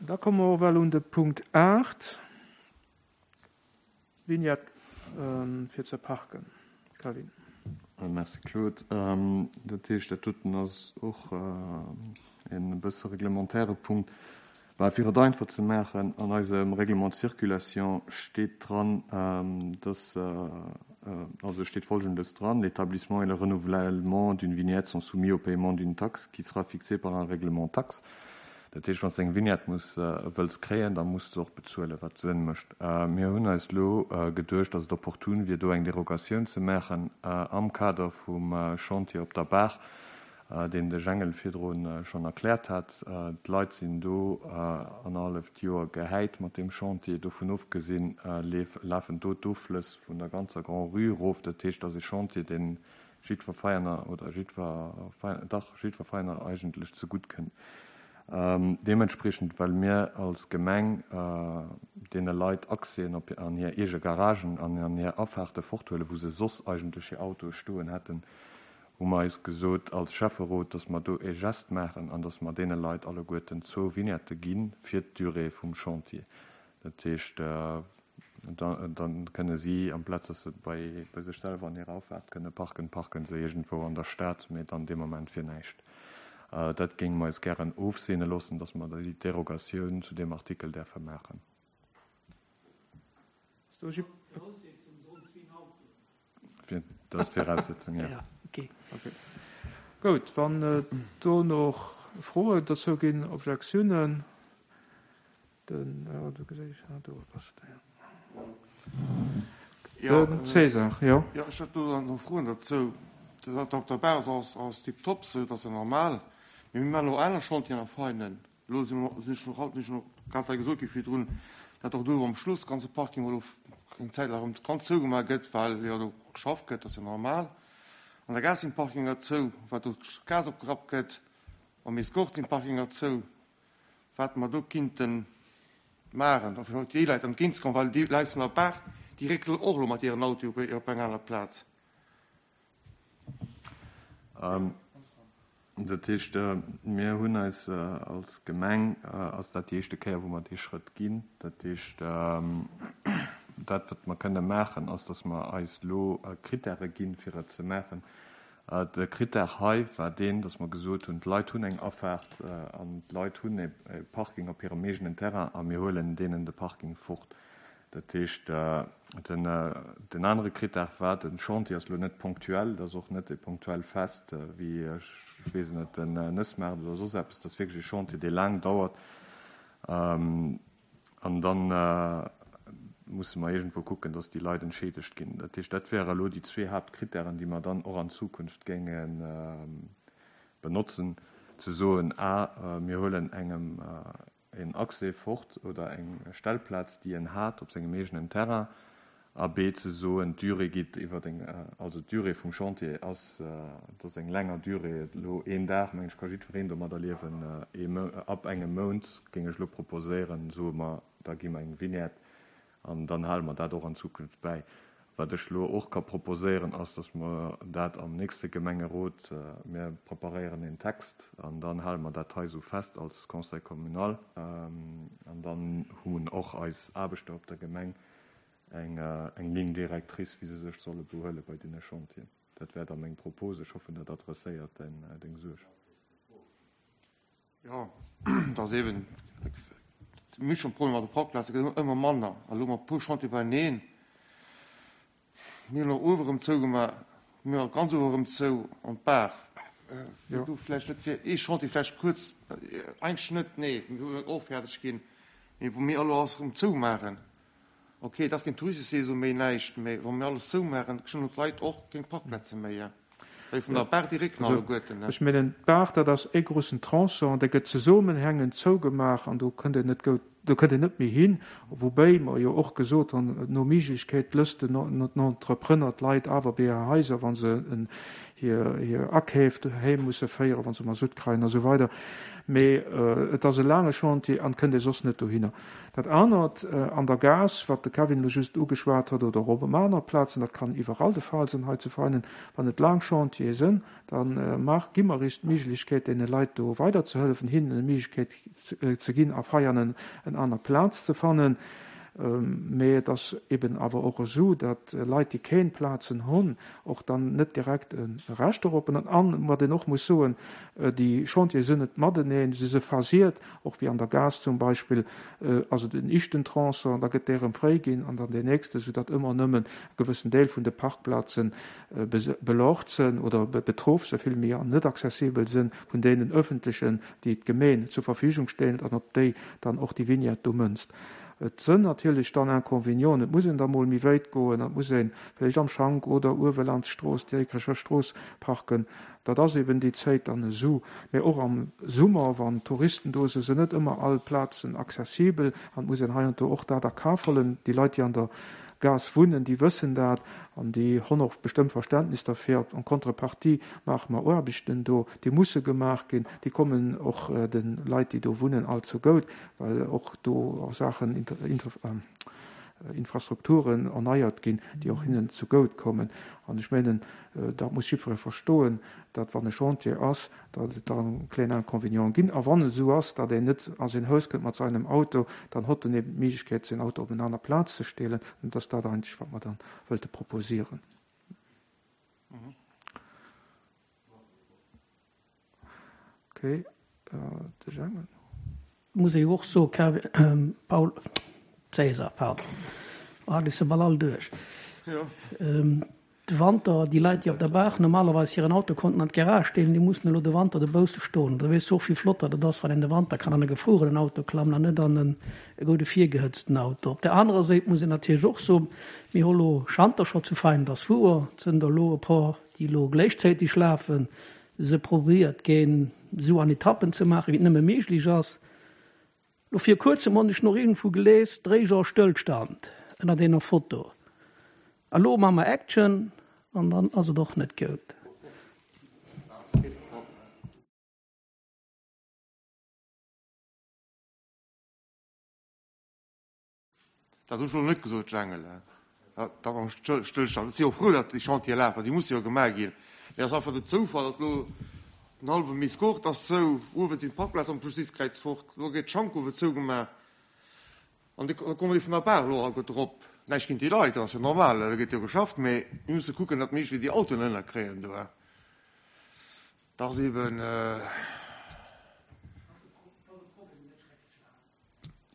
Da komme mer och well un de Punkt 8, Vignette fir ze parken. Calvin. Merci Claude. Dat heescht, dat doten ass och en bësse reglementaire Punkt. Mä fir et einfach ze maachen, an eisem Règlement de circulation steet dran, dass, also steet Folgendes dran, L'établissement et le renouvellement d'une vignette sont soumis au paiement d'une taxe qui sera fixée par un règlement taxe. Dat heescht, wann s de eng Vignette muss, wëlls kréien, da muss de se och bezuelen, wat Sënn mécht. Mir hunn eis elo geduecht, dass et opportun wier, do eng Derogatioun ze maachen am Kader vum Chantier op der Baach, deen de Jengel virdru schonn erkläert hat. D'Leit sinn do annerhalleft Joer gehäit mat deem Chantier. Dovun ofgesinn lafen do d'Offlëss vun der ganzer Grand-Rue erof. Dat heescht, et ass e Chantier, dee jiddwer Veianer oder jiddwer, dach, jiddwer Veianer eigentlech zegutt kënnt. Deementspriechend, well mir als Gemeng deene Leit Accèsen op an hir eege Garagen an an hir Afahrte forthuelen, wou se soss eigentlech hir Autoe stoen hätten, hu mer eis gesot als Schäfferot, dass mer do e Gest maachen an dass mer deene Leit alleguerten zwou Vignettë gi fir d'Durée vum Chantier. Dat heescht, da kënne si, amplaz dass se bei sech selwer an hirer Afaart kënne parken, parke se iergendwou an der Stad, mee dann dee Moment fir näischt. Dat géinge mer eis gären ofseene loossen, dass mer déi Derogatioun zu deem Artikel däerfe maachen. Dat ass d'Viraussetzung, jo. Goud, wann do nach Froen dozou ginn, Objektiounen? Den, jo, do geséi ech, ah, do ass de, jo. Den César, jo. Jo, ech hätt do dann nach Froen derzou. Dat op der Base ass, ass tiptop esou, dat ass jo normal. Mee mir maachen och aner Chantieren a Veinen. Elo si mer, sinn ech nach alt, sinn ech nach grad hei gesot gi virdrun, dat och do am Schluss ganze Parking elo eng Zäit laang erëm ganz zougemaach gëtt, well jo do geschafft gëtt, dat ass jo normal. An der Gare sinn d'Parkinger zou, well do d'Gas opgerappt gëtt. Am Escort sinn d'Parkinger zou. Wat mer do kinnte maachen, fir och déi Leit entgéintzekommen, well déi Leit vun der Baach, déi réckelen och elo mat hiren Autoe op eng aner Plaz. Dat heescht, mir hunn eis als Gemeng, ass dat déi éischte Kéier, wou mer dee Schrëtt ginn. Dat heescht, dat, wat mer kënne maachen, ass, datt mer eis elo Krittäre ginn, fir et ze maachen. De Krittär hei war deen, datt mer gesot hunn, d'Leit hunn eng Afaart an d'Leit hunn e Parking op hirem eegenen Terrain a mir huelen deenen de Parking fort. Dat heescht, den anere Krittär war, de Chantier ass elo net ponctuell, et ass och net e ponctuell Fest wéi, ech weess net, den Nëssmaart oder soss eppes, et ass wierklech e Chantier, dee laang dauert. An da musse mer iergendwou kucken, dass déi Leit entscheedegt ginn. Dat heescht, dat wäre elo déi zwee Haaptkrittären, déi mer dann och an Zukunft géinge benotzen, ze soen, a mir huelen engem en Accès fort oder eng Stellplaz, déi en hat op sengem eegenen Terrain, a b ze soen, d'Durée geet iwwer eng, also d'Durée vum Chantier ass, et ass eng länger Durée, elo een Dag, mengen ech, ka jiddwereen domadder liewen, ee Mou, ab engem Mount géing ech elo proposéieren, soe mer, da gi mer eng Vignette an dann hale mer dat och an Zukunft bäi. Wat ech elo och ka proposéieren, ass, datt mer dat am nächste Gemengerot, mir preparéieren een Text an dann hale mer dat hei esou fest als Conseil communal an dann hunn och eis Aarbechter op der Gemeng eng eng Ligne directrice, wéi se sech solle behuele bei deene Chantieren. Dat wär da meng Propos. Ech hoffen, dat adresséiert deng Suerg. Jo, et ass eeben, mir hu schonn Problemer mat de Parkplazen, et gëtt ëmmer manner. A lo mat e puer Chantiere beieneen, mir hunn och uewe rëm zougemaach, mir hu ganz uewe rëm zou an d'Baach. Wier do vläicht net fir ee Chantier vläicht kuerz, eigentlech net, nee, mir wëllen och fäerdeg ginn, mee wou mir elo alles rëm zoumaachen. Ok, et ass keng Touristesaison méi, näischt, mee wa mir alles zoumaachen, kréien d'Leit och keng Parkplaze méi, well vun der Baach déi récken alleguerten. Ech mengen, d'Baach, dat ass e groussen Tronçon, dee gëtt zesummenhängend zougemaach an do kënnt een net goud. Do kënnt een net méi hin, woubäi mer jo och gesot hunn, no Méiglechkeet lësst den Entrepreneur d'Leit awer bei hir Haiser, wa se hir Akeef doheem musse féieren, wa se Masutt kreien a sou weider. Mee et ass e laange Chantier an et kënnt ee soss net dohinner. Dat anert an der Gaass, wat de Kevin elo just ugeschwat huet, oder och op aner Plazen, dat kann iwwerall de Fall sinn hei zu Veinen, wann et laang Chantiere sinn, da gi mer eis d'Méiglechkeet, deene Leit do weiderzehëllefen, hinnen eng Méiglechkeet ze ginn a Veianen en aner Plaz ze fannen. Mee et ass eben awer och esou, datt Leit, déi keen Plazen hunn, och dann net direkt e Recht dorop hunn. An wat een och muss soen, déi Chantiere sinn net mateneen, se si phasiert, och wéi an der Gaass zum Beispill ass et en ischten Tronçon, da gëtt dee erëm fréi ginn an dann deen nächste, soudatt ëmmer nëmmen e gewëssen Deel vun de Parkplazen belaucht sinn oder betroff sinn, villméi an net accessibel sinn vun deenen öffentlechen déi d'Gemeen zur Verfügung stellt an op déi dann och déi Vignette do mënzt. Et sënn natierlech dann Inconvénienten, et muss een da mol méi wéit goen, et muss een vläicht am Schank oder uewe laanscht d'Strooss, d'Diékrecher Strooss parken. Dat ass eben déi Zéit dann esou. Mä och am Summer, wann Touristen do sinn, sinn net ëmmer all Plazen accessibel an et muss een heiansdo och dat a Kaf huelen. Déi Leit, déi an der Gaass wunnen, déi wëssen dat an déi honn och bestëmmt Verständnis derfir. En contrepartie maache mer Aarbechten do, déi musse gemaach ginn. Déi kommen och de Leit, déi do wunnen, all zegout, well och do Saachen, Infrastrukturen erneiert ginn, déi och hinnen zegout kommen. An ech mengen, dat muss jiddweree verstoen, datt wann e Chantier ass, datt et da e kléin Inconvénient ginn. A wann et esou ass, datt een net a säin Haus kënnt mat seinem Auto, dann hott en eben d'Méiglechkeet, säin Auto op en aner Plaz ze stellen. An et ass dat eigentlech, wat mer dann wëlte proposieren. Okay, de Jang. Muss ee jo och soen, Paul Cäsar, pardon, ah, ech si bal all duerch. De Wanter, déi Leit, déi op der Baach normalerweis hiren Auto konnten an d'Garage stellen, déi mussen elo de Wanter dobausse stoen. Da weess de och, wéi flott dat et ass, wann een de Wanter kann an e gefruerenen Auto klammen an net an e goude virgehëtzten Auto. Op där anerer Séit muss een natierlech och soen, mir hu lo Schanter scho zu Veinen, et ass wouer, et sënn der elo e por, déi elo gléichzäiteg lafen, se probéiert ginn, esou an Etappen ze maachen, wéi et nëmme méiglech ass. Lo vir kuerzem honn ech noch iergendwou gelees, Dréiger Stëllstand ënnert eener Foto. A lo maa mer Action an dann ass et och net goud. Dat hunn ech elo net gesot, Jangele. Dat mam Stëllstand. Ech si jo frou, datt déi Chantiere lafen, déi musse jo gemaach ginn. Mee et ass einfach den Zoufall, datt elo den hallwe Miscourt ass zou, uewe sinn d'Parkplazen am Justizkräiz fort, elo gëtt d'Schank uewe zougemaach an da kommen déi vun der Baach elo alleguerte erop. Näischt géint déi Leit, dat ass jo normal, do gëtt jo geschafft, mee mir musse kucken, datt mir iergendwéi déi Autoen ënnerkréien do. Dat ass eeben.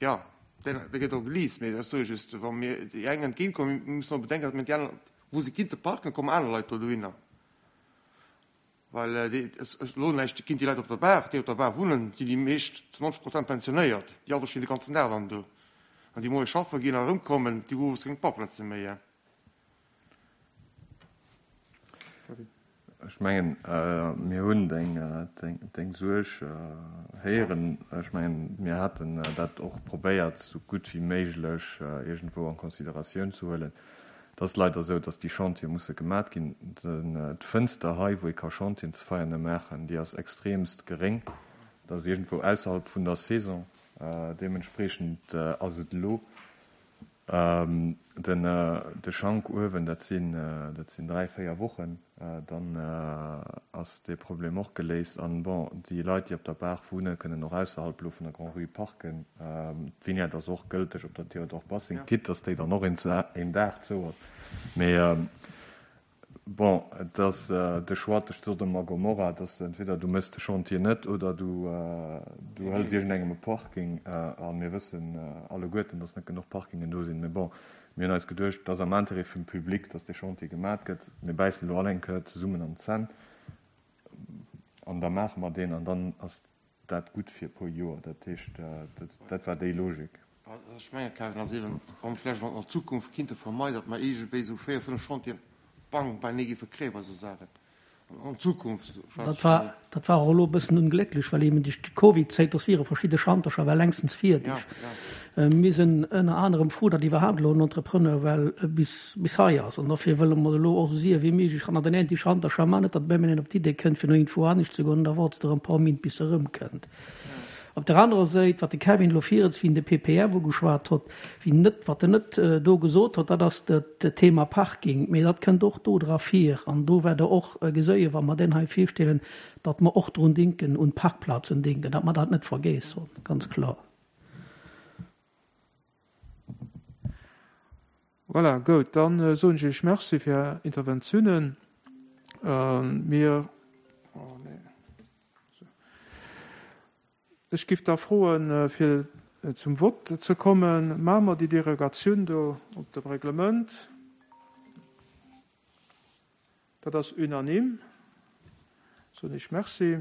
Jo, dee gëtt och geleast, mee ech soe just, wa mir déi eng entgéintkommen, mir mussen och bedenken, datt mir déi aner, wou se kinnte parken, kommen aner Leit do dohinner. Well déi, elo näischt géint déi Leit op der Baach, déi op der Baach wunnen, sinn déi meescht zu 90 Prozent pensionéiert. Déi Autoe stinn de ganzen Dag dann do. An déi moies schaffe ginn a erëmkommen, déi hu owes keng Parkplaze méi. Ech mengen, mir hunn deng Suerg héieren. Ech mengen, mir haten dat och probéiert, esou gutt wéi méiglech iergendwou an Consideratioun ze huelen. Et ass leider esou, datt déi Chantiere musse gemat ginn. D'Fënster hei, wou ee ka Chantieren ze Veianen maachen, déi ass extremst geréng. Dat ass iergendwou ausserhalb vun der Saison. Deementspreechend ass et elo Den de Schank uewen, dat sinn dat sinn 3, 4 Wochen, dann ass dee Problem och geléist. An bon, déi Leit, déi op der Baach wunnen, kënnen och ausserhalb elo vun der Grand-Rue parken. D'Vignette ass och gëlteg op der Théodore Bassing, quitte dass déi dann och een Dag zou ass. Mee Bon, et ass de Choix tëscht Sodom a Gomorra, et ass entweder du méchs de Chantier net oder du hëls iergendengem e Parking. A mir wëssen alleguerten, datt net genuch Parkingen do sinn. Mee bon, mir hunn eis geduecht, et ass am Interêt vum Public, datt dee Chantier gemat gëtt. Mir bäissen elo all eng Kéier zesummen an d'Zänn an da maache mer deen an dann ass dat gutt fir e puer Joer. Dat heescht, dat war déi Logik. Ech mengen, Kevin, ass eben, wa mer vläicht an der Zukunft kinnte vermeiden, datt mer iergendwéi esou 4, 5 Chantieren bang beinee géife kréie bei esou Saachen an Zukunft. Dat war, dat war och elo e bëssen onglécklech, well eben duerch d'Covidzäit, dass wiere verschidde Schantercher war längstens fierdeg. Mir sinn ënner anerem frou, datt iwwerhaapt elo en Entrepreneur well bis bis hei ass. An dofir wëlle mer elo och esou séier wéi méiglech hanner den Anti-Schantercher man, net datt op eemol een op d'Idee kënnt, fir no iergendwou anescht ze goen, an da warts de erëm e paar Mint, bis e erëmkënnt. Op der anerer Säit, wat de Kevin elo virens, wéi en de PPF ugeschwat hott, wéi net, wat en net do gesot hott, dat ass dat Thema Parking. Mee dat kënnt och do dra vir. An do wäert Der och geséien, wa mer deen hei virstellen, datt mer och drun dinken, un d'Parkplazen dinken, datt mer dat net vergeess hunn, ganz kloer. Voilà, goud, dann soen ech Iech Merci fir Är Interventiounen. Mir, oh nee, ech giff da froen, fir zum Vott ze kommen. Maache mer déi Derogatioun do op dem Reglement? Dat ass unanime. Soen Iech Merci.